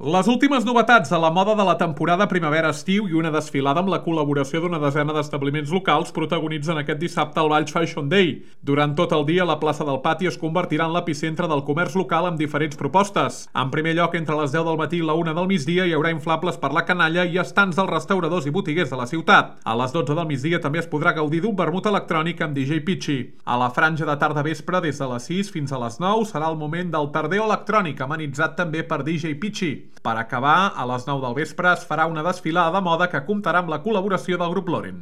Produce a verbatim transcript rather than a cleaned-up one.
Les últimes novetats a la moda de la temporada primavera-estiu i una desfilada amb la col·laboració d'una desena d'establiments locals protagonitzen aquest dissabte el Valls Fashion Day. Durant tot el dia, la plaça del Pati es convertirà en l'epicentre del comerç local amb diferents propostes. En primer lloc, entre les deu del matí i la una del migdia hi haurà inflables per la canalla i estants dels restauradors i botiguers de la ciutat. A les dotze del migdia també es podrà gaudir d'un vermut electrònic amb D J Pitchy. A la franja de tarda-vespre, des de les sis fins a les nou, serà el moment del Tardeo electrònic, amenitzat també per D J Pitchy. Per acabar, a les nou del vespre es farà una desfilada de moda que comptarà amb la col·laboració del grup Loren.